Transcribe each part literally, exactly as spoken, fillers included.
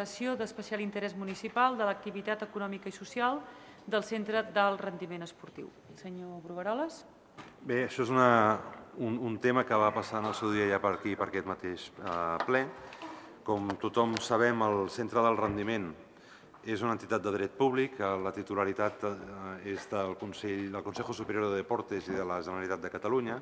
d'especial interès municipal de l'activitat econòmica i social del Centre d'Alt Rendiment Esportiu. Senyor Brugueroles. Bé, això és una, un, un tema que va passar en el seu dia ja per aquí, per aquest mateix eh, ple. Com tothom sabem, el Centre d'Alt Rendiment és una entitat de dret públic, la titularitat eh, és del Consell, del Consejo Superior de Deportes i de la Generalitat de Catalunya,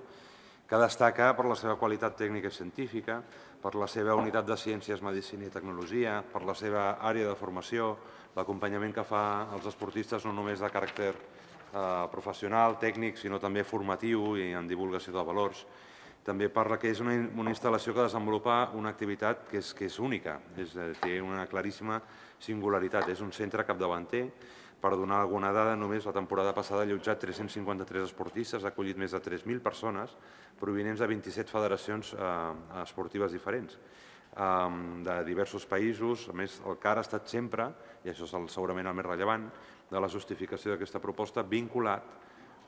que destaca per la seva qualitat tècnica i científica, per la seva unitat de ciències, medicina i tecnologia, per la seva àrea de formació, l'acompanyament que fa als esportistes no només de caràcter eh, professional, tècnic, sinó també formatiu i en divulgació de valors. També parla que és una, una instal·lació que desenvolupa una activitat que és, que és única, és, té una claríssima singularitat. És un centre capdavanter. Per donar alguna dada, només la temporada passada ha allotjat tres-cents cinquanta-tres esportistes, ha acollit més de tres mil persones provinents de vint-i-set federacions eh, esportives diferents eh, de diversos països. A més, el C A R ha estat sempre, i això és el, segurament el més rellevant, de la justificació d'aquesta proposta, vinculat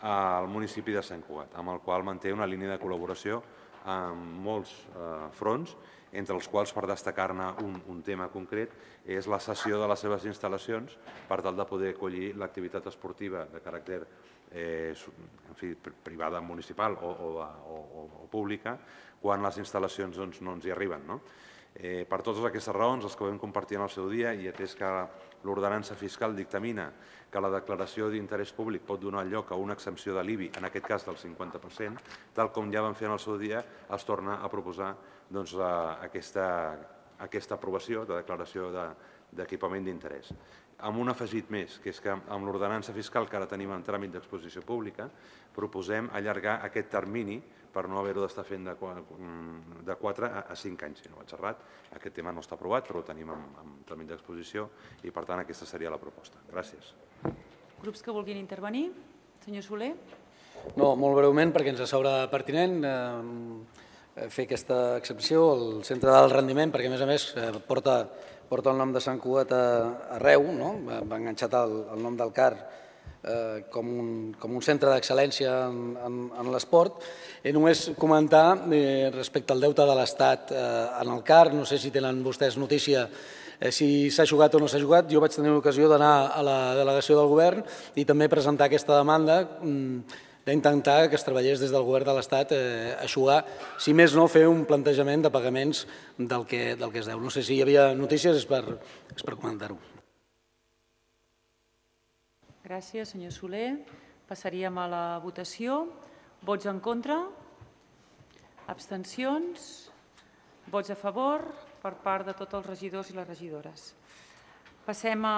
al municipi de Sant Cugat, amb el qual manté una línia de col·laboració en molts eh, fronts, entre els quals, per destacar-ne un, un tema concret, és la cessió de les seves instal·lacions per tal de poder acollir l'activitat esportiva de caràcter eh, en fi, privada municipal o, o, o, o pública quan les instal·lacions doncs, no ens hi arriben. No? Eh, per totes aquestes raons, les que vam compartir en el seu dia, i atès que l'ordenança fiscal dictamina que la declaració d'interès públic pot donar lloc a una exempció de l'I B I, en aquest cas del cinquanta per cent, tal com ja vam fer en el seu dia, es torna a proposar doncs, aquesta, aquesta aprovació de declaració d'equipament d'interès. Amb un afegit més, que és que amb l'ordenança fiscal que ara tenim en tràmit d'exposició pública, proposem allargar aquest termini per no haver-ho d'estar fent de quatre a cinc anys. Si no vaig errat, aquest tema no està aprovat, però ho tenim en tràmit d'exposició i, per tant, aquesta seria la proposta. Gràcies. Grups que vulguin intervenir? Senyor Soler. No, molt breument, perquè ens sembla pertinent fer aquesta excepció al Centre d'Alt Rendiment, perquè, a més a més, porta porta el nom de Sant Cugat arreu, no? Va enganxat el, el nom del C A R eh, com, un, com un centre d'excel·lència en, en, en l'esport. I només comentar eh, respecte al deute de l'Estat eh, en el C A R, no sé si tenen vostès notícia eh, si s'ha jugat o no s'ha jugat. Jo vaig tenir l'ocasió d'anar a la delegació del govern i també presentar aquesta demanda mm, d'intentar que es treballés des del govern de l'Estat eh, a eixugar, si més no, fer un plantejament de pagaments del que, del que es deu. No sé si hi havia notícies, és per, és per comentar-ho. Gràcies, senyor Soler. Passaríem a la votació. Vots en contra? Abstencions? Vots a favor per part de tots els regidors i les regidores. Passem a